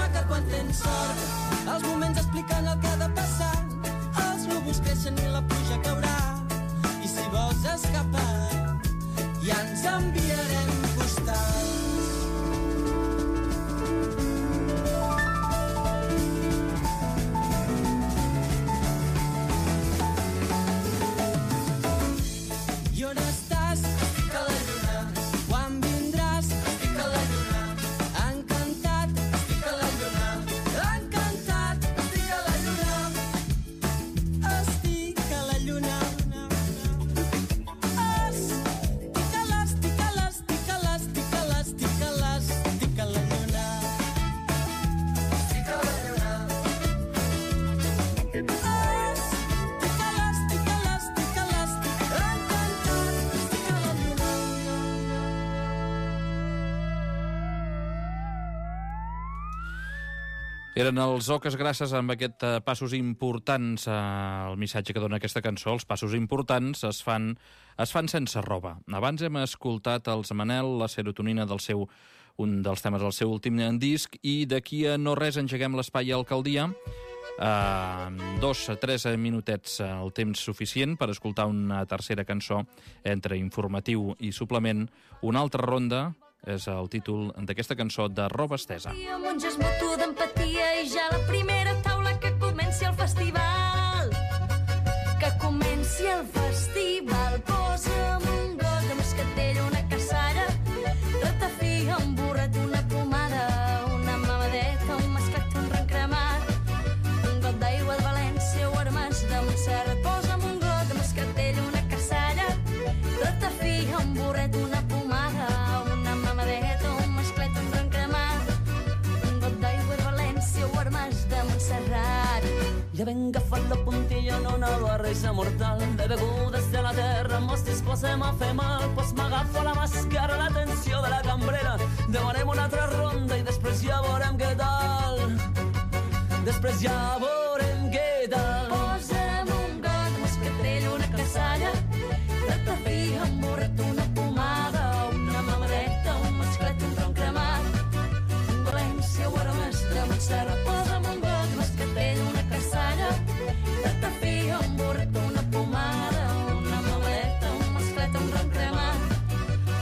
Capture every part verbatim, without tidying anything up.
maca quan tens sort. Els moments expliquen el que ha de passar. Els núvols creixen i la pluja caurà. I si vols escapar, ja ens enviarem postals. I on estàs? Estic a la lluna. Quan vindràs? Estic a la lluna. Encantat, estic a la lluna. Encantat, estic a la lluna. Estic a la lluna. Estic a l'estic a l'estic a l'estic a l'estic a l'estic a la lluna. Estic a la lluna. Estic a l'estic a l'estic a l'estic. Encantat, estic a la lluna. Eren els Oques Grasses amb aquest eh, passos importants, eh, el missatge que dona aquesta cançó. Els passos importants es fan, es fan sense roba. Abans hem escoltat els Manel, la serotonina del seu, un dels temes del seu últim disc, i d'aquí a no res engeguem l'espai a Alcaldia. Uh, dos a tres minutets uh, el temps suficient per escoltar una tercera cançó entre informatiu i suplement. Una altra ronda és el títol d'aquesta cançó de Roba Estesa. Amb un gest mutu d'empatia i ja la primera taula que comenci el festival. Que comenci el festival. Posa'm un got de moscatell, una cassalla, ratafia, un burret, una pomada, una mamadeta, un masclet, un rencremat, un got d'aigua de València o armes de Montserrat. Posa'm un got de moscatell, una cassalla, ratafia, un burret, una pomada, una mamadeta, un masclet, un rencremat, un got d'aigua de València o armes de Montserrat. Ja ben agafat la puntilla en una barreja mortal de begudes de la terra, mos disposem a fer mal, pues m'agafo la màscara, l'atenció de la cambrera, demanem una altra ronda i després ja veurem què tal. Després ja veurem què tal. Posa'm un got de moscatrell, una cassalla, ratafia, un burret, una pomada, una mamadeta, un masclet, un tronc cremat, un València o armes de Montserrat. Posa'm un got de moscatrell, una cassalla, ratafia, un burret, una pomada, una mamadeta, un masclet, un tronc cremat,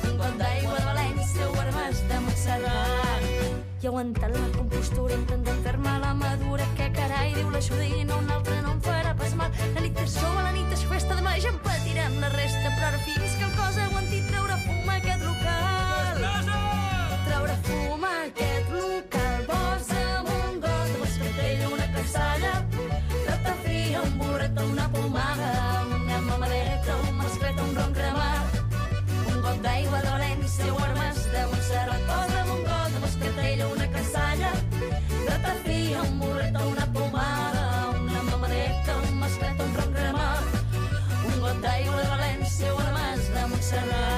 un got d'aigua de València o armes de Montserrat. I aguantant la compostura, intentant fer-me la madura, que carai, diu la Judina, un altre no em farà pas mal. La nit és jove, la nit és festa, demà ja en patirem la resta, però ara fins que el cos aguanti treure fum a aquest local. Treure fum a aquest local. Posa'm un got de moscatell, una cassalla, ratafia, un burret, una pomada, una mamadeta, un masclet, un ron cremat, un got d'aigua de València o armes de Montserrat. Posa'm un got de moscatell, una cassalla, ratafia, un burret, una pomada, una mamadeta, un masclet, un ron cremat, un got d'aigua de València o armes de Montserrat.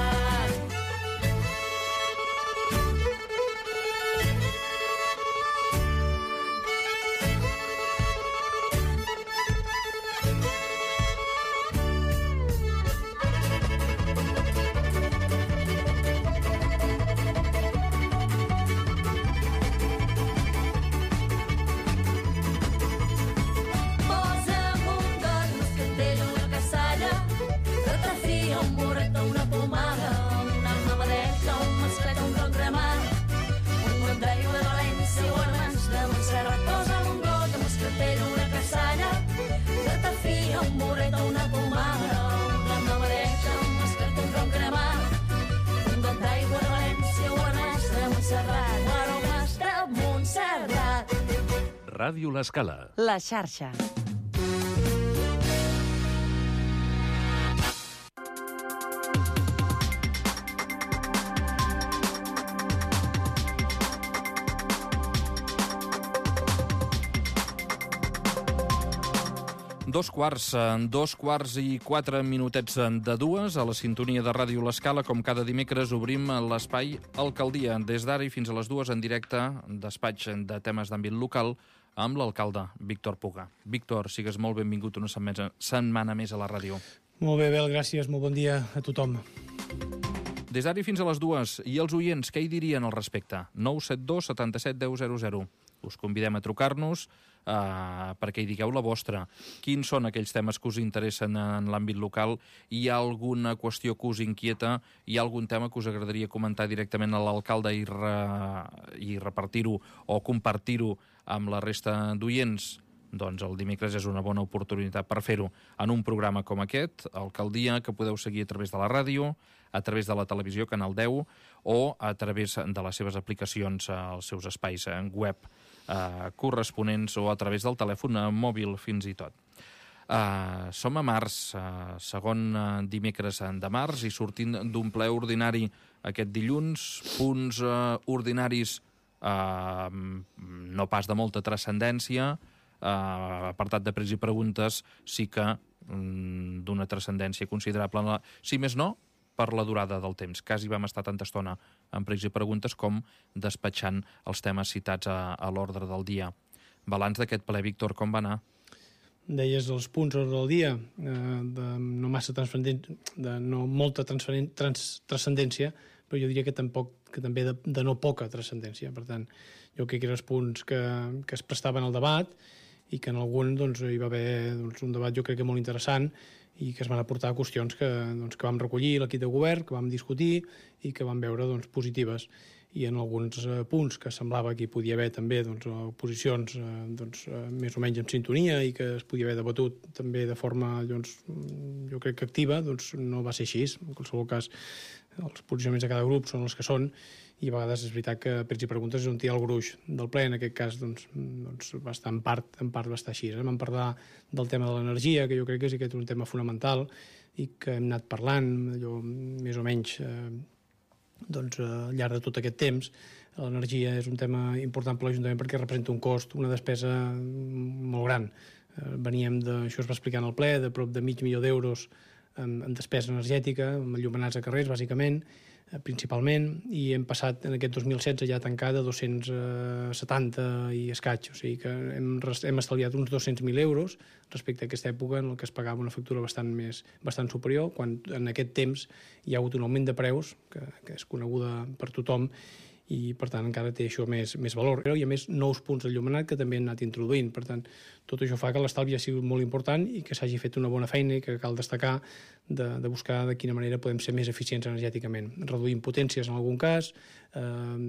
Posa'm un got de moscatell, una cassalla, ratafia, un burret, una pomada, una mamadeta, un masclet, un ron cremat, un got d'aigua de València o armes de Montserrat. Posa'm un got de moscatell, una cassalla, ratafia, un burret, una pomada, una mamadeta, un masclet, un ron cremat, un got d'aigua de València o armes de Montserrat. Aromes de Montserrat. Ràdio L'Escala. La xarxa. Dos quarts, dos quarts i quatre minutets de dues, a la sintonia de Ràdio L'Escala. Com cada dimecres obrim l'espai Alcaldia, des d'ara i fins a les dues en directe, despatx de temes d'àmbit local, amb l'alcalde Víctor Puga. Víctor, sigues molt benvingut una setmana més a la ràdio. Molt bé, Bel, gràcies. Molt bon dia a tothom. Des d'ara i fins a les dues, i els oients, què hi dirien al respecte? nou set dos setanta set deu zero zero. Us convidem a trucar-nos eh, perquè hi digueu la vostra. Quins són aquells temes que us interessen en l'àmbit local? Hi ha alguna qüestió que us inquieta? Hi ha algun tema que us agradaria comentar directament a l'alcalde i, re, i repartir-ho o compartir-ho amb la resta d'oients? Doncs el dimecres és una bona oportunitat per fer-ho en un programa com aquest, Alcaldia, que podeu seguir a través de la ràdio, a través de la televisió, Canal deu, o a través de les seves aplicacions als seus espais web eh, corresponents o a través del telèfon mòbil fins i tot. Uh, som a març, uh, segon uh, dimecres de març, i sortint d'un ple ordinari aquest dilluns, punts uh, ordinaris uh, no pas de molta transcendència, Uh, apartat de pregs i preguntes sí que um, d'una transcendència considerable, si més no, per la durada del temps. Quasi vam estar tanta estona en pregs i preguntes com despatxant els temes citats a, a l'ordre del dia. Balanç d'aquest ple, Víctor, com va anar? Deies els punts ordre del dia, eh, de no massa transcendència, de no molta transcendència, però jo diria que tampoc que també de, de no poca transcendència. Per tant, jo crec que eren els punts que, que es prestaven al debat i que en algun doncs, hi va haver doncs, un debat jo crec que molt interessant i que es van aportar qüestions que, doncs, que vam recollir l'equip de govern, que vam discutir i que vam veure doncs, positives. I en alguns eh, punts que semblava que hi podia haver també doncs, posicions eh, doncs, eh, més o menys en sintonia i que es podia haver debatut també de forma doncs, jo crec que activa, doncs no va ser així. En qualsevol cas, els posicionaments de cada grup són els que són i a vegades és veritat que pregs i preguntes és on hi ha el gruix del ple. En aquest cas doncs, doncs va estar en part, en part va estar així. Vam parlar del tema de l'energia, que jo crec que és aquest un tema fonamental i que hem anat parlant allò, més o menys eh, doncs, al llarg de tot aquest temps. L'energia és un tema important per l'Ajuntament perquè representa un cost, una despesa molt gran. Eh, veníem de, això es va explicar en el ple, de prop de mig milió d'euros en, en despesa energètica, amb enllumenats a carrers, bàsicament, eh, principalment, i hem passat en aquest dos mil setze ja tancada dos-cents setanta i escaig, o sigui que hem, hem estalviat uns dos-cents mil euros respecte a aquesta època en què es pagava una factura bastant, més, bastant superior, quan en aquest temps hi ha hagut un augment de preus, que, que és coneguda per tothom, i per tant encara té això més, més valor. I a més nous punts d'enllumenat que també han anat introduint. Per tant, tot això fa que l'estalvi ha sigut molt important i que s'hagi fet una bona feina i que cal destacar de, de buscar de quina manera podem ser més eficients energèticament. Reduint potències en algun cas, eh,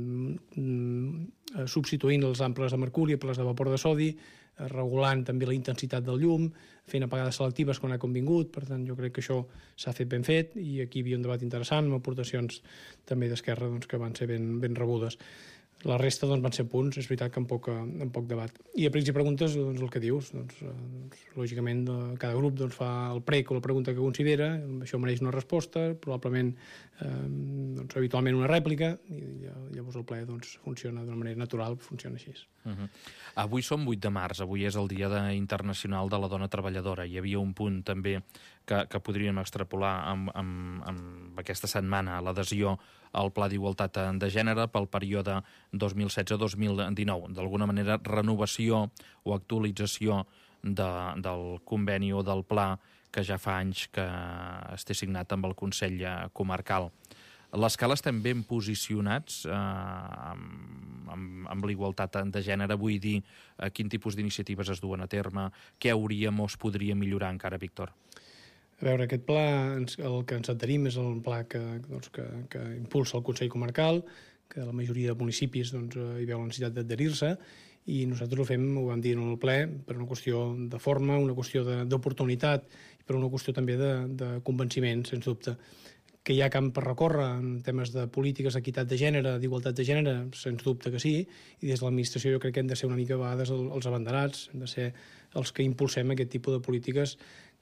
substituint els amples de mercuri per les de vapor de sodi, regulant també la intensitat del llum, fent apagades selectives quan ha convingut. Per tant, jo crec que això s'ha fet ben fet i aquí hi havia un debat interessant amb aportacions també d'Esquerra doncs, que van ser ben, ben rebudes. La resta doncs, van ser punts, és veritat que amb poc, amb poc debat. I a pregs i preguntes, doncs, el que dius, doncs, doncs, lògicament cada grup doncs, fa el prec o la pregunta que considera, això mereix una resposta, probablement eh, doncs, habitualment una rèplica, i llavors el ple doncs, funciona d'una manera natural, funciona així. Uh-huh. Avui som vuit de març, avui és el Dia de, Internacional de la Dona Treballadora. Hi havia un punt també que, que podríem extrapolar amb, amb, amb aquesta setmana, l'adhesió al Pla d'Igualtat de Gènere pel període dos mil setze a dos mil dinou. D'alguna manera, renovació o actualització de, del conveni o del pla que ja fa anys que es té signat amb el Consell Comarcal. A l'Escala estem ben posicionats eh, amb, amb, amb l'igualtat de gènere. Vull dir, eh, quin tipus d'iniciatives es duen a terme, què hauríem o es podria millorar encara, Víctor? A veure, aquest pla, el que ens adherim és el pla que, doncs, que, que impulsa el Consell Comarcal, que la majoria de municipis doncs, hi veu la necessitat d'adherir-se, i nosaltres ho fem, ho vam dir en el ple, per una qüestió de forma, una qüestió d'oportunitat i per una qüestió també de, de convenciment, sens dubte. Que hi ha camp per recórrer en temes de polítiques d'equitat de gènere, d'igualtat de gènere, sens dubte que sí, i des de l'administració jo crec que hem de ser una mica a vegades els abanderats, hem de ser els que impulsem aquest tipus de polítiques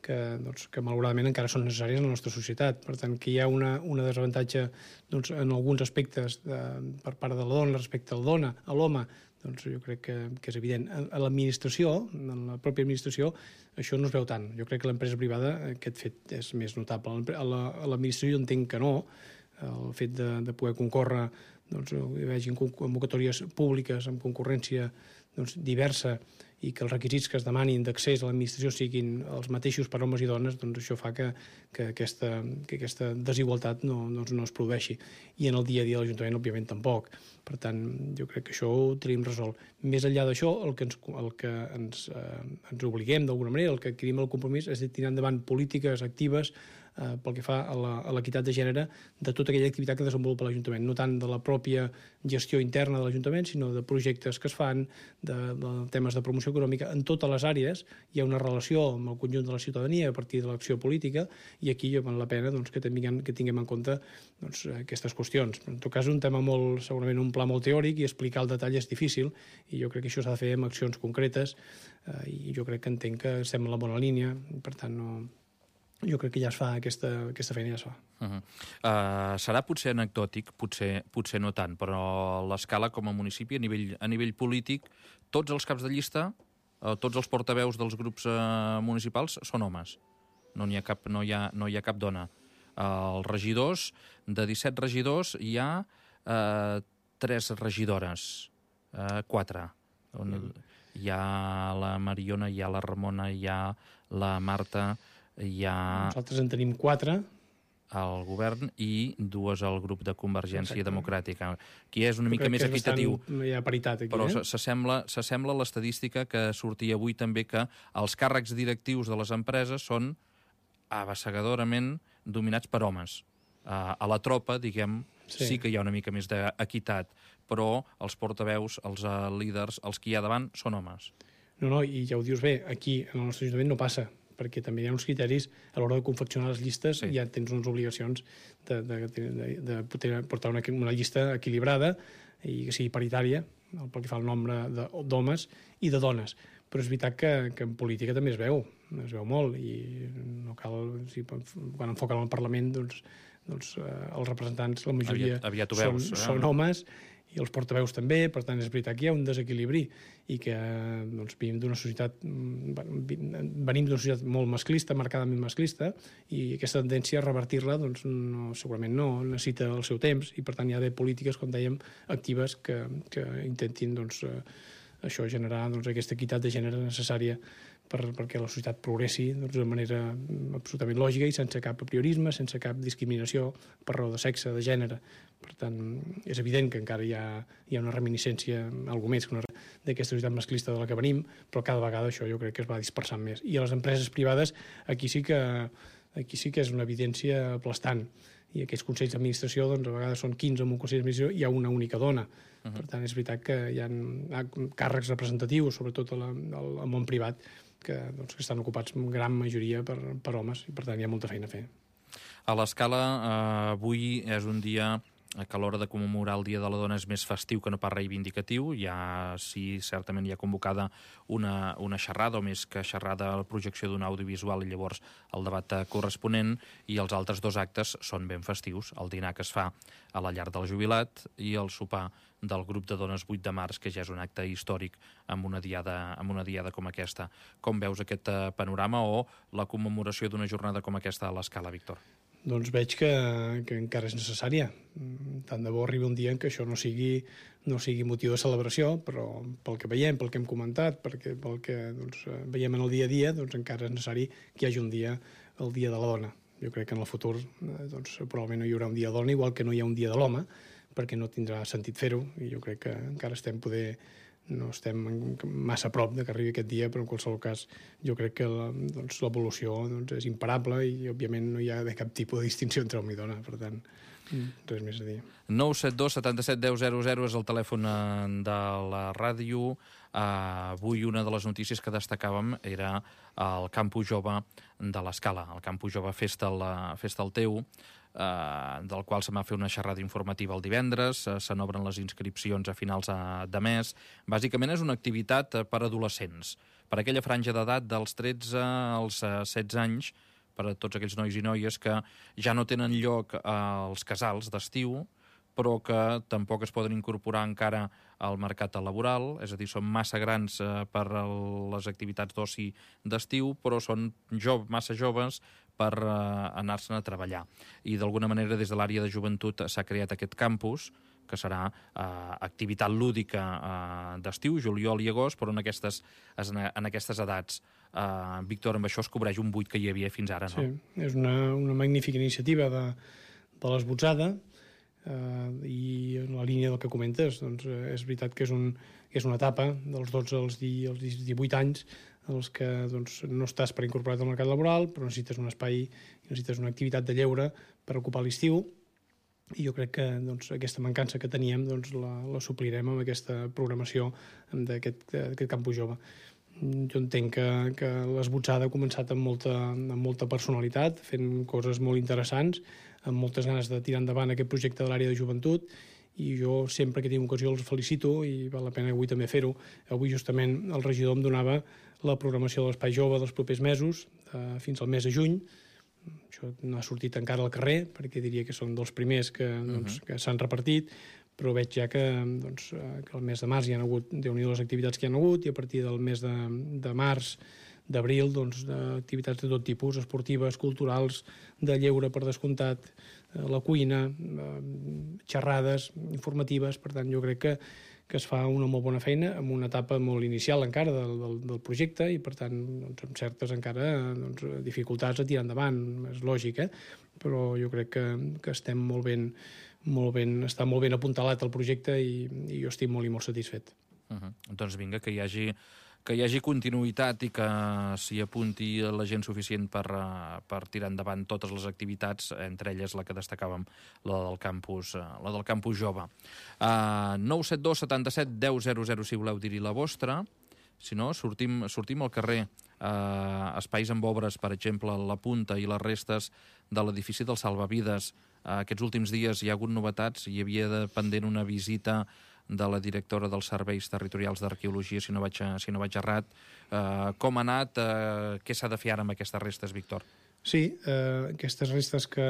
que, doncs, que malauradament encara són necessàries en la nostra societat. Per tant, que hi ha una, una desavantatge doncs, en alguns aspectes de, per part de la dona respecte al dona, a l'home, doncs jo crec que, que és evident. A l'administració, en la pròpia administració, això no es veu tant. Jo crec que a l'empresa privada aquest fet és més notable. A l'administració entenc que no. El fet de, de poder concórrer, doncs, hi hagi convocatòries públiques amb concurrència doncs, diversa i que els requisits que es demanin d'accés a l'administració siguin els mateixos per homes i dones, doncs això fa que, que, aquesta, que aquesta desigualtat no, doncs no es produeixi. I en el dia a dia de l'Ajuntament, òbviament, tampoc. Per tant, jo crec que això ho tenim resolt. Més enllà d'això, el que ens, el que ens, eh, ens obliguem d'alguna manera, el que adquirim el compromís, és de tirar endavant polítiques actives eh, pel que fa a l'equitat de gènere de tota aquella activitat que desenvolupa l'Ajuntament, no tant de la pròpia gestió interna de l'Ajuntament, sinó de projectes que es fan, de, de temes de promoció econòmica. En totes les àrees hi ha una relació amb el conjunt de la ciutadania a partir de l'acció política, i aquí val la pena doncs, que, tinguem, que tinguem en compte doncs, aquestes qüestions. En tot cas, és un tema molt, segurament un pla molt teòric, i explicar el detall és difícil, i jo crec que això s'ha de fer amb accions concretes, eh, i jo crec que entenc que estem en la bona línia, per tant, no... jo crec que ja es fa, aquesta, aquesta feina ja es fa. Uh -huh. uh, serà potser anecdòtic, potser, potser no tant, però l'Escala com a municipi, a nivell, a nivell polític, tots els caps de llista, uh, tots els portaveus dels grups uh, municipals són homes. No n'hi ha cap, no hi ha, no hi ha cap dona. Uh, els regidors, de disset regidors, hi ha uh, tres regidores, uh, quatre. On, hi ha la Mariona, hi ha la Ramona, hi ha la Marta... Hi ha... Nosaltres en tenim quatre. Al govern i dues al grup de Convergència Exacte. Democràtica. Aquí és una mica més equitatiu. Bastant, hi ha paritat aquí, però eh? s'assembla a l'estadística que sortia avui també, que els càrrecs directius de les empreses són abassegadorament dominats per homes. Uh, a la tropa, diguem, sí. sí que hi ha una mica més d'equitat, però els portaveus, els uh, líders, els que hi ha davant, són homes. No, no, i ja ho dius bé, aquí en el nostre Ajuntament no passa, perquè també hi ha uns criteris a l'hora de confeccionar les llistes, sí. ja tens unes obligacions de, de, de, de portar una, una llista equilibrada i que sigui paritària, pel que fa al nombre d'homes i de dones. Però és veritat que, que en política també es veu, es veu molt, i no cal, si, quan enfoquen al Parlament, doncs, doncs eh, els representants, la majoria aviat, aviat són, veus, eh? són homes, i els portaveus també, per tant és veritat que hi ha un desequilibri i que doncs, venim d'una societat venim d'una societat molt masclista, marcadament masclista, i aquesta tendència a revertir-la doncs, no, segurament no necessita el seu temps, i per tant hi ha d'haver polítiques, com dèiem, actives que, que intentin doncs, eh, això generar doncs, aquesta equitat de gènere necessària per, perquè la societat progressi doncs, de manera absolutament lògica i sense cap apriorisme, sense cap discriminació per raó de sexe, de gènere. Per tant, és evident que encara hi ha, hi ha una reminiscència, alguna més que una d'aquesta societat masclista de la que venim, però cada vegada això jo crec que es va dispersant més. I a les empreses privades aquí sí que, aquí sí que és una evidència aplastant. I aquests consells d'administració, doncs, a vegades són quinze en un consell d'administració i hi ha una única dona. Uh-huh. Per tant, és veritat que hi ha càrrecs representatius, sobretot al món privat, que, doncs, que estan ocupats en gran majoria per, per homes, i per tant hi ha molta feina a fer. A l'Escala, eh, avui és un dia que a l'hora de commemorar el Dia de la Dona és més festiu que no pas reivindicatiu. Ja, sí, certament hi ha convocada una, una xerrada, o més que xerrada, la projecció d'un audiovisual i llavors el debat corresponent, i els altres dos actes són ben festius. El dinar que es fa a la llar del jubilat i el sopar del grup de dones vuit de març, que ja és un acte històric amb una diada, amb una diada com aquesta. Com veus aquest panorama o la commemoració d'una jornada com aquesta a l'Escala, Víctor? Doncs veig que, que encara és necessària. Tant de bo arribi un dia en què això no sigui, no sigui motiu de celebració, però pel que veiem, pel que hem comentat, perquè, pel que doncs, veiem en el dia a dia, doncs encara és necessari que hi hagi un dia, el Dia de la Dona. Jo crec que en el futur doncs, probablement no hi haurà un dia de la dona, igual que no hi ha un dia de l'home, perquè no tindrà sentit fer-ho, i jo crec que encara estem poder... no estem massa a prop de que arribi aquest dia, però en qualsevol cas jo crec que l'evolució doncs, doncs, és imparable i òbviament no hi ha de cap tipus de distinció entre home i dona, per tant res més a dir. nou set dos setanta set deu zero zero és el telèfon de la ràdio. Uh, avui una de les notícies que destacàvem era el Campus Jove de l'Escala, el Campus Jove Festa el, Festa el Teu, Uh, del qual se va fer una xerrada informativa el divendres, uh, se n'obren les inscripcions a finals uh, de mes. Bàsicament és una activitat uh, per adolescents, per aquella franja d'edat dels tretze als uh, setze anys, per a tots aquells nois i noies que ja no tenen lloc uh, als casals d'estiu, però que tampoc es poden incorporar encara al mercat laboral, és a dir, són massa grans uh, per a les activitats d'oci d'estiu, però són jo, massa joves per uh, anar-se'n a treballar. I d'alguna manera des de l'àrea de joventut s'ha creat aquest campus que serà eh, activitat lúdica eh, d'estiu, juliol i agost, però en aquestes, en aquestes edats. Eh, Víctor, amb això es cobreix un buit que hi havia fins ara, no? Sí, és una, una magnífica iniciativa de, de l'Esbotzada, eh, i en la línia del que comentes, doncs, és veritat que és, un, que és una etapa dels dotze als, di, als divuit anys en els que doncs, no estàs per incorporat al mercat laboral, però necessites un espai, necessites una activitat de lleure per ocupar l'estiu, i jo crec que doncs, aquesta mancança que teníem doncs, la, la suplirem amb aquesta programació d'aquest campus jove. Jo entenc que, que l'Esbotzada ha començat amb molta, amb molta personalitat, fent coses molt interessants, amb moltes ganes de tirar endavant aquest projecte de l'àrea de joventut, i jo sempre que tinc ocasió els felicito, i val la pena avui també fer-ho. Avui justament el regidor em donava la programació de l'Espai Jove dels propers mesos, eh, fins al mes de juny. Això no ha sortit encara al carrer, perquè diria que són dels primers que, doncs, que s'han repartit, però veig ja que, doncs, que el mes de març hi ha hagut, déu-n'hi-do les activitats que hi ha hagut, i a partir del mes de, de març, d'abril, doncs, activitats de tot tipus, esportives, culturals, de lleure per descomptat, la cuina, xerrades informatives. Per tant, jo crec que, que es fa una molt bona feina en una etapa molt inicial encara del, del, del projecte, i per tant doncs, amb certes encara doncs, dificultats a tirar endavant, és lògic, eh? Però jo crec que, que estem molt ben, molt ben, està molt ben apuntalat el projecte, i, i jo estic molt i molt satisfet. Uh-huh. Doncs vinga, que hi hagi que hi hagi continuïtat i que s'hi apunti la gent suficient per, per tirar endavant totes les activitats, entre elles la que destacàvem, la del campus, la del campus jove. Uh, nou set dos setanta-set deu zero zero si voleu dir-hi la vostra. Si no, sortim, sortim al carrer. Uh, espais amb obres, per exemple, la punta i les restes de l'edifici del Salvavides. Uh, aquests últims dies hi ha hagut novetats, hi havia de pendent una visita de la directora dels Serveis Territorials d'Arqueologia, si no vaig, si no vaig errat. Uh, com ha anat? Uh, què s'ha de fer ara amb aquestes restes, Víctor? Sí, eh, aquestes restes que,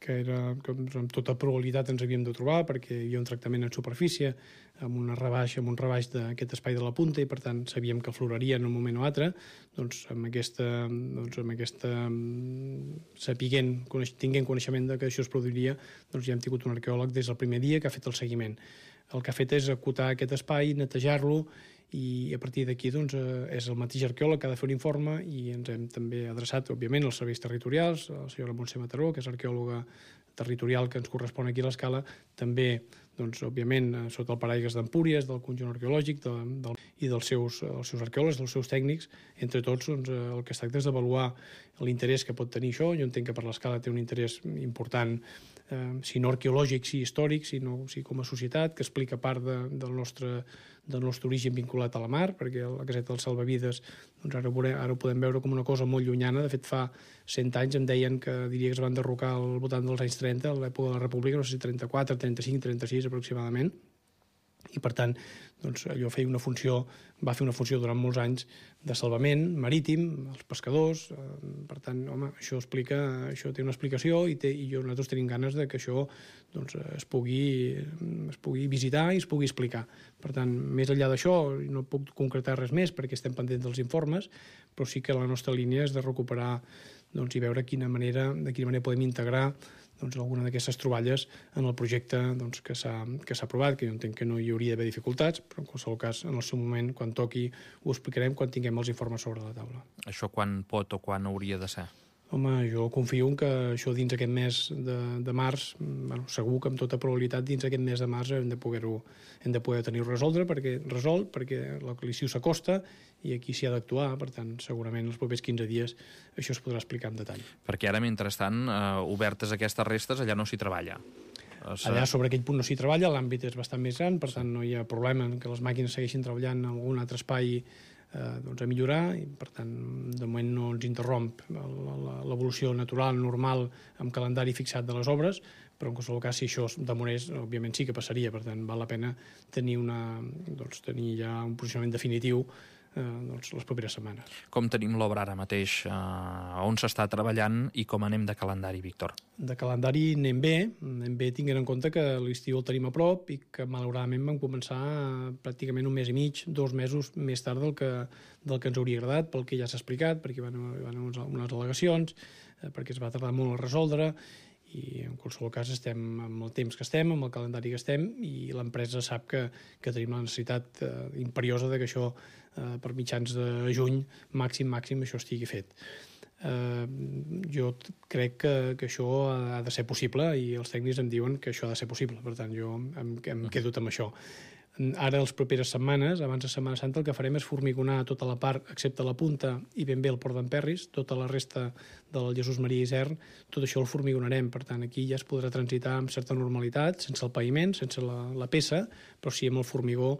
que, era, que amb tota probabilitat ens havíem de trobar, perquè hi havia un tractament en superfície, amb una rebaixa, amb un rebaix d'aquest espai de la punta, i per tant sabíem que afloraria en un moment o altre. Doncs amb aquesta, doncs amb aquesta sapiguent, tinguent coneixement de que això es produiria, doncs ja hem tingut un arqueòleg des del primer dia que ha fet el seguiment. El que ha fet és acotar aquest espai, netejar-lo, i a partir d'aquí doncs, és el mateix arqueòleg que ha de fer un informe, i ens hem també adreçat, òbviament, als serveis territorials, a la senyora Montse Mataró, que és arqueòloga territorial que ens correspon aquí a l'Escala, també, doncs, òbviament, sota el paraigües d'Empúries, del conjunt arqueològic de, de, i dels seus, els seus arqueòlegs, dels seus tècnics. Entre tots, doncs, el que es tracta és d'avaluar l'interès que pot tenir això. Jo entenc que per l'Escala té un interès important, eh, si no arqueològic, si històric, si, no, si com a societat, que explica part de, del, nostre, del nostre origen vinculat a la mar, perquè la caseta dels Salvavides, doncs ara, veurem, ara ho podem veure com una cosa molt llunyana. De fet, fa cent anys em deien que diria que es van derrocar al voltant dels anys trenta, a l'època de la República, no sé si trenta-quatre, trenta-cinc, trenta-sis aproximadament, i per tant doncs, allò feia una funció, va fer una funció durant molts anys de salvament marítim, els pescadors. Per tant, home, això explica, això té una explicació, i, té, i jo, nosaltres tenim ganes de que això doncs, es, pugui, es pugui visitar i es pugui explicar. Per tant, més enllà d'això, no puc concretar res més perquè estem pendents dels informes, però sí que la nostra línia és de recuperar doncs, i veure quina manera, de quina manera podem integrar doncs, alguna d'aquestes troballes en el projecte doncs, que s'ha aprovat, que jo entenc que no hi hauria d'haver dificultats, però en qualsevol cas, en el seu moment, quan toqui, ho explicarem quan tinguem els informes sobre la taula. Això quan pot o quan hauria de ser? Home, jo confio en que això dins aquest mes de, de març, bueno, segur que amb tota probabilitat dins aquest mes de març hem de poder-ho hem de poder tenir-ho resoldre, perquè, resolt, perquè l'estiu s'acosta i aquí s'hi ha d'actuar. Per tant, segurament els propers quinze dies això es podrà explicar en detall. Perquè ara, mentrestant, eh, obertes aquestes restes, allà no s'hi treballa. Allà sobre aquell punt no s'hi treballa, l'àmbit és bastant més gran, per tant no hi ha problema en que les màquines segueixin treballant en algun altre espai Eh, doncs a millorar, i per tant de moment no ens interromp l'evolució natural, normal, amb calendari fixat de les obres, però en qualsevol cas si això demorés, òbviament sí que passaria. Per tant val la pena tenir, una, doncs, tenir ja un posicionament definitiu eh, doncs, les properes setmanes. Com tenim l'obra ara mateix? Eh, on s'està treballant i com anem de calendari, Víctor? De calendari anem bé, anem bé tinguent en compte que l'estiu el tenim a prop i que malauradament vam començar pràcticament un mes i mig, dos mesos més tard del que, del que ens hauria agradat, pel que ja s'ha explicat, perquè van haver unes al·legacions, eh, perquè es va tardar molt a resoldre, i en qualsevol cas estem amb el temps que estem, amb el calendari que estem, i l'empresa sap que, que tenim la necessitat eh, imperiosa de que això eh, per mitjans de juny màxim, màxim, això estigui fet. Eh, jo crec que, que això ha de ser possible i els tècnics em diuen que això ha de ser possible, per tant jo em, em quedo amb això. Ara, les properes setmanes, abans de Setmana Santa, el que farem és formigonar tota la part, excepte la punta i ben bé el Port d'Emperris, tota la resta del Jesús Maria Isern, tot això el formigonarem, per tant aquí ja es podrà transitar amb certa normalitat, sense el paviment, sense la, la peça, però sí amb el formigó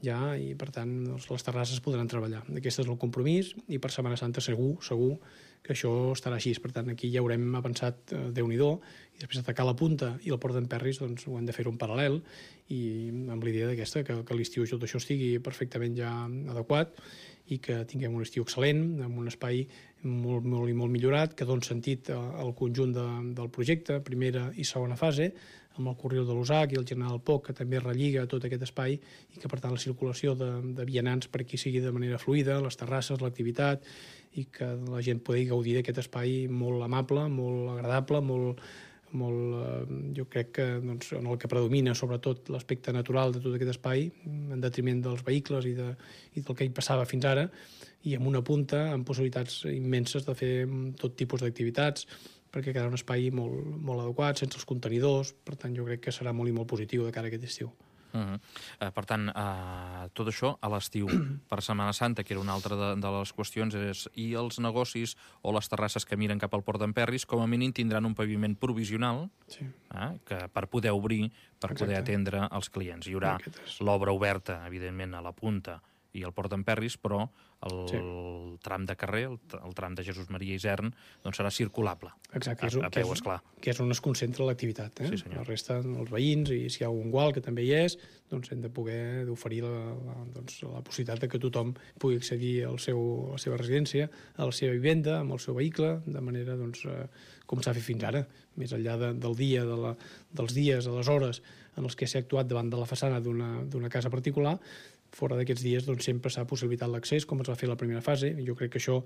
ja, i per tant doncs, les terrasses podran treballar. Aquest és el compromís i per Setmana Santa segur, segur que això estarà així. Per tant, aquí ja haurem avançat eh, Déu-n'hi-do, i després atacar la punta i el Port d'Emperris doncs, ho hem de fer un paral·lel, i amb l'idea d'aquesta, que, que l'estiu tot això estigui perfectament ja adequat i que tinguem un estiu excel·lent, amb un espai molt, molt i molt millorat, que doni sentit al conjunt de, del projecte, primera i segona fase, amb el Corriol de l'Usac i el General Poc, que també relliga tot aquest espai i que, per tant, la circulació de, de vianants per aquí sigui de manera fluida, les terrasses, l'activitat, i que la gent pugui gaudir d'aquest espai molt amable, molt agradable, molt, molt, eh, jo crec que doncs, en el que predomina sobretot l'aspecte natural de tot aquest espai, en detriment dels vehicles i, de, i del que hi passava fins ara, i amb una punta amb possibilitats immenses de fer tot tipus d'activitats, perquè quedarà un espai molt, molt adequat, sense els contenidors. Per tant, jo crec que serà molt i molt positiu de cara a aquest estiu. Uh -huh. uh, per tant, uh, tot això a l'estiu per Setmana Santa, que era una altra de, de les qüestions, és i els negocis o les terrasses que miren cap al Port d'Emperris com a mínim tindran un paviment provisional, sí. uh, que per poder obrir, per Exacte. Poder atendre els clients. Hi haurà l'obra oberta, evidentment, a la punta i al Port d'Emperris, però el sí. tram de carrer, el, el tram de Jesús Maria Isern, doncs serà circulable. Exacte, a, a peu, esclar. Que és on es concentra l'activitat. Eh? Sí, senyor. La resta, els veïns, i si hi ha un gual, que també hi és, doncs hem de poder oferir la, la, doncs, la possibilitat de que tothom pugui accedir al seu, a la seva residència, a la seva vivenda, amb el seu vehicle, de manera doncs, eh, com s'ha fet fins ara, més enllà de, del dia, de la, dels dies, de les hores en els que s'ha actuat davant de la façana d'una casa particular. Fora d'aquests dies doncs, sempre s'ha possibilitat l'accés, com es va fer la primera fase. Jo crec que això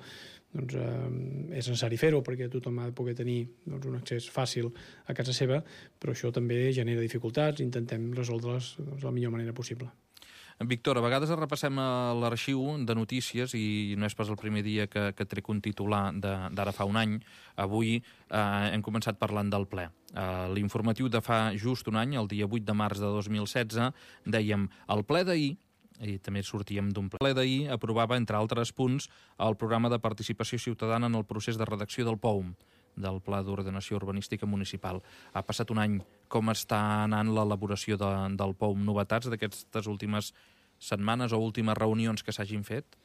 doncs, eh, és necessari fer-ho, perquè tothom ha de poder tenir doncs, un accés fàcil a casa seva, però això també genera dificultats i intentem resoldre-les doncs, de la millor manera possible. Víctor, a vegades repassem l'arxiu de notícies i no és pas el primer dia que, que trec un titular d'ara fa un any. Avui eh, hem començat parlant del ple. Eh, L'informatiu de fa just un any, el dia vuit de març de dos mil setze, dèiem el ple d'ahir, i també sortíem d'un ple. El ple d'ahir aprovava, entre altres punts, el programa de participació ciutadana en el procés de redacció del P O U M, del Pla d'Ordenació Urbanística Municipal. Ha passat un any. Com està anant l'elaboració de, del P O U M? Novetats d'aquestes últimes setmanes o últimes reunions que s'hagin fet?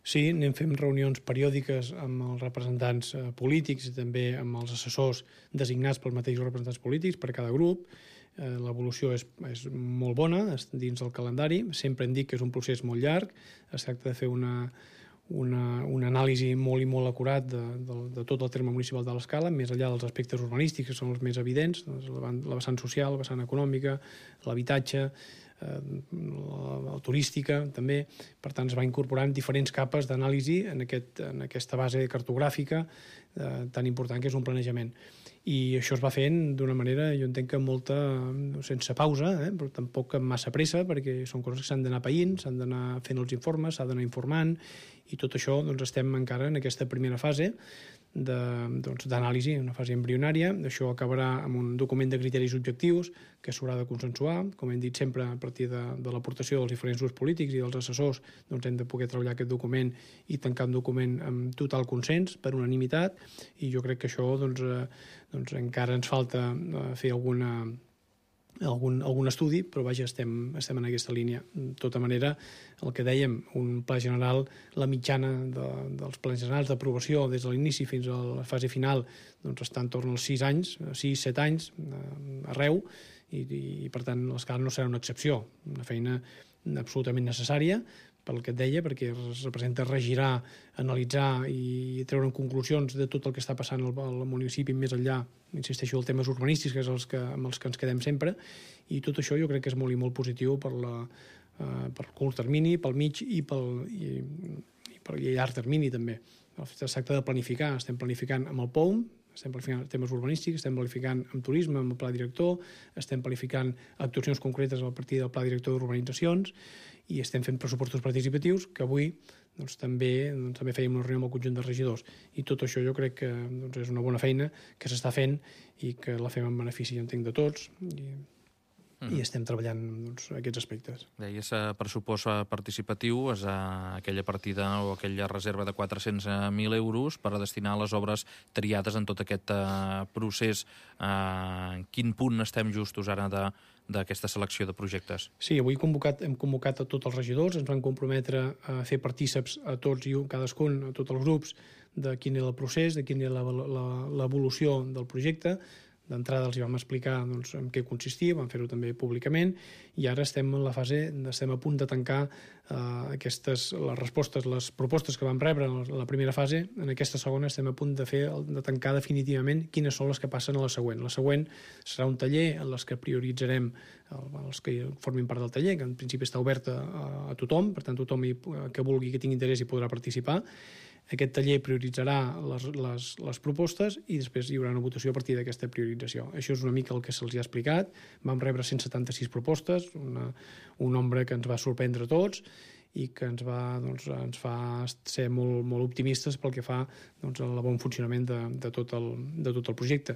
Sí, anem fent reunions periòdiques amb els representants eh, polítics i també amb els assessors designats pels mateixos representants polítics per cada grup. Eh, L'evolució és, és molt bona dins del calendari. Sempre hem dit que és un procés molt llarg. Es tracta de fer una, una, una anàlisi molt i molt acurat de, de, de tot el terme municipal de l'Escala, més enllà dels aspectes urbanístics, que són els més evidents, doncs la, la vessant social, la vessant econòmica, l'habitatge, eh, la, la turística, també. Per tant, es va incorporant diferents capes d'anàlisi en, aquest, en aquesta base cartogràfica eh, tan important que és un planejament. I això es va fent d'una manera, jo entenc que molta, sense pausa, eh, però tampoc amb massa pressa, perquè són coses que s'han d'anar païnt, s'han d'anar fent els informes, s'ha d'anar informant, i tot això doncs, estem encara en aquesta primera fase d'anàlisi, doncs, una fase embrionària. Això acabarà amb un document de criteris objectius que s'haurà de consensuar. Com hem dit sempre, a partir de, de l'aportació dels diferents grups polítics i dels assessors, doncs hem de poder treballar aquest document i tancar un document amb total consens, per unanimitat, i jo crec que això doncs, eh, doncs encara ens falta eh, fer alguna Algun, algun estudi, però vaja, estem, estem en aquesta línia. De tota manera, el que dèiem, un pla general, la mitjana de, dels plans generals d'aprovació des de l'inici fins a la fase final doncs està entorn als sis anys, sis, set anys, eh, arreu, i, i per tant l'Escala no serà una excepció, una feina absolutament necessària, pel que et deia, perquè es representa regirar, analitzar i treure conclusions de tot el que està passant al, al municipi més enllà, insisteixo, els temes urbanístics, que és els que, amb els que ens quedem sempre, i tot això jo crec que és molt i molt positiu per la, uh, per curt termini, pel mig i pel i, i per i llarg termini també. Es tracta de planificar, estem planificant amb el P O U M, estem planificant temes urbanístics, estem planificant amb turisme, amb el pla director, estem planificant actuacions concretes a partir del pla director d'urbanitzacions i estem fent pressupostos participatius que avui doncs, també, doncs, també fèiem una reunió amb el conjunt de regidors. I tot això jo crec que doncs, és una bona feina que s'està fent i que la fem en benefici, entenc, de tots i, mm. i estem treballant doncs, aquests aspectes. Deies eh, pressupost participatiu, és eh, aquella partida o aquella reserva de quatre-cents mil euros per a destinar a les obres triades en tot aquest eh, procés. Eh, en quin punt estem justos ara de d'aquesta selecció de projectes? Sí, avui convocat, hem convocat a tots els regidors, ens van comprometre a fer partíceps a tots i cadascun, a tots els grups, de quin era el procés, de quina era l'evolució del projecte. D'entrada els hi vam explicar doncs, en què consistia, vam fer-ho també públicament, i ara estem en la fase, estem a punt de tancar eh, aquestes, les respostes, les propostes que vam rebre en la primera fase. En aquesta segona estem a punt de fer de tancar definitivament quines són les que passen a la següent. La següent serà un taller en les que prioritzarem els que formin part del taller, que en principi està obert a, a tothom, per tant tothom que vulgui, que tingui interès hi podrà participar. Aquest taller prioritzarà les, les, les propostes i després hi haurà una votació a partir d'aquesta priorització. Això és una mica el que se'ls ha explicat. Vam rebre cent setanta-sis propostes, una, un nombre que ens va sorprendre a tots i que ens, va, doncs, ens fa ser molt, molt optimistes pel que fa doncs, al bon funcionament de, de, tot el, de tot el projecte.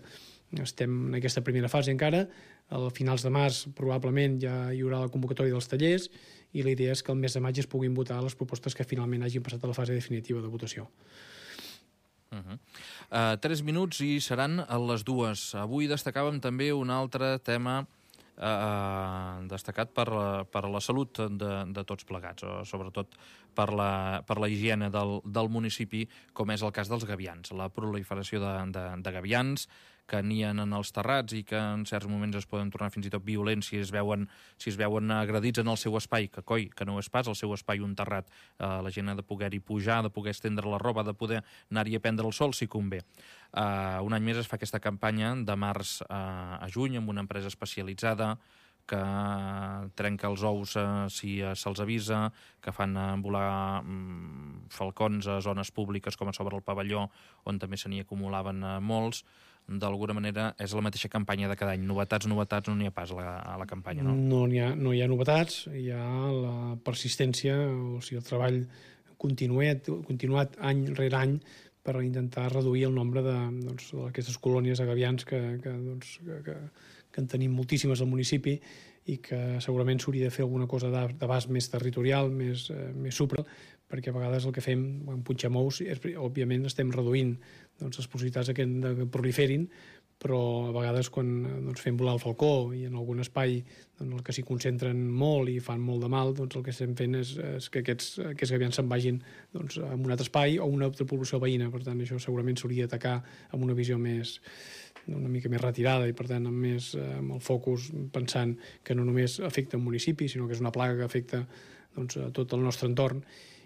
Estem en aquesta primera fase encara. A finals de març probablement ja hi haurà la convocatòria dels tallers i la idea és que el mes de maig es puguin votar les propostes que finalment hagin passat a la fase definitiva de votació. Uh -huh. uh, tres minuts i seran a les dues. Avui destacàvem també un altre tema uh, destacat per, per la salut de, de tots plegats, o sobretot per la, per la higiene del, del municipi, com és el cas dels gavians. La proliferació de, de, de gavians que nien en els terrats i que en certs moments es poden tornar fins i tot violents si es veuen, si es veuen agredits en el seu espai, que coi, que no és pas el seu espai un terrat. Uh, la gent ha de poder-hi pujar, de poder estendre la roba, de poder anar-hi a prendre el sol si convé. Uh, un any més es fa aquesta campanya de març uh, a juny amb una empresa especialitzada que trenca els ous eh, si eh, se'ls avisa, que fan eh, volar mm, falcons a zones públiques com a sobre el pavelló, on també se n'hi acumulaven eh, molts. D'alguna manera és la mateixa campanya de cada any. Novetats, novetats, no n'hi ha pas a la, a la campanya, no? No n'hi ha, no hi ha novetats, hi ha la persistència, o sigui, el treball continuat, continuat any rere any per intentar reduir el nombre d'aquestes doncs, colònies de gavians que, que, doncs, que, que, que en tenim moltíssimes al municipi i que segurament s'hauria de fer alguna cosa d'abast més territorial, més, eh, més supra, perquè a vegades el que fem en punxamous, és, òbviament estem reduint doncs, les possibilitats que, que proliferin, però a vegades quan doncs, fem volar el falcó i en algun espai doncs, el que s'hi concentren molt i fan molt de mal, doncs el que estem fent és, és que aquests, aquests gavians se'n vagin doncs, a un altre espai o a una altra població veïna. Per tant, això segurament s'hauria d'atacar amb una visió més una mica més retirada i per tant amb, més, amb el focus pensant que no només afecta un municipi, sinó que és una plaga que afecta doncs, a tot el nostre entorn.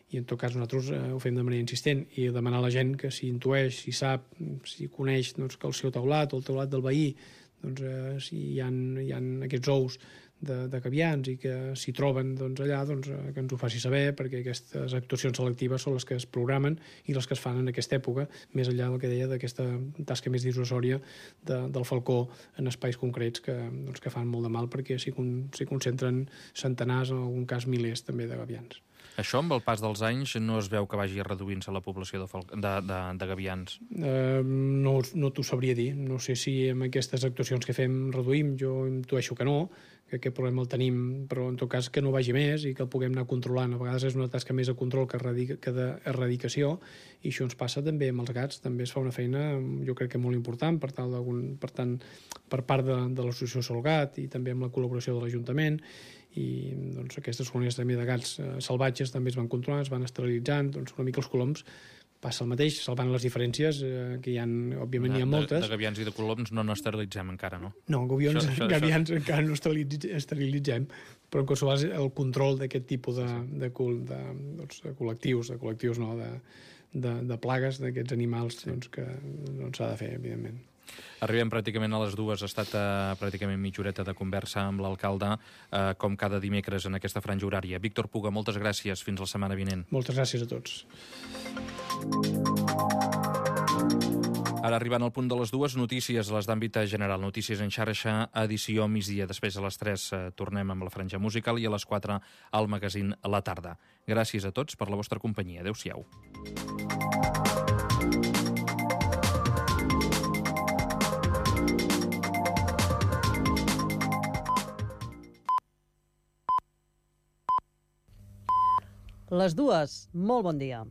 I en tot cas nosaltres eh, ho fem de manera insistent i demanar a la gent que si intueix, si sap, si coneix doncs, que el seu teulat o el teulat del veí, doncs, eh, si hi ha, hi ha aquests ous de, de gavians i que s'hi troben doncs, allà, doncs, eh, que ens ho faci saber, perquè aquestes actuacions selectives són les que es programen i les que es fan en aquesta època, més enllà del que deia d'aquesta tasca més dissuasòria de, del falcó en espais concrets que, doncs, que fan molt de mal perquè s'hi con, concentren centenars, en algun cas milers també de gavians. Això, amb el pas dels anys, no es veu que vagi reduint-se la població de, de, de, de gavians? Uh, no no t'ho sabria dir. No sé si amb aquestes actuacions que fem reduïm. Jo intueixo que no, que aquest problema el tenim, però en tot cas que no vagi més i que el puguem anar controlant. A vegades és una tasca més de control que, que d'erradicació i això ens passa també amb els gats. També es fa una feina, jo crec que molt important, per, tal per tant, per part de, de l'associació Solgat i també amb la col·laboració de l'Ajuntament. I doncs, aquestes colònies també de gats eh, salvatges també es van controlant, es van esterilitzant, doncs una mica els coloms passa el mateix, salvant les diferències eh, que hi ha, òbviament n'hi ha moltes. De, de gavians i de coloms no n'esterilitzem encara, no? No, gavions, això, això, gavians això. encara no esterilitzem, però en qualsevol cas el control d'aquest tipus de, de, de, doncs, de col·lectius, de col·lectius no, de, de, de plagues d'aquests animals sí. doncs, que no s'ha de fer, evidentment. Arribem pràcticament a les dues. Ha estat uh, pràcticament mitja horeta de conversa amb l'alcalde, uh, com cada dimecres en aquesta franja horària. Víctor Puga, moltes gràcies. Fins la setmana vinent. Moltes gràcies a tots. Ara arribant al punt de les dues, notícies, les d'àmbit general. Notícies en xarxa, edició migdia. Després a les tres eh, tornem amb la franja musical i a les quatre al magazín La Tarda. Gràcies a tots per la vostra companyia. Adéu-siau. Les dues, molt bon dia.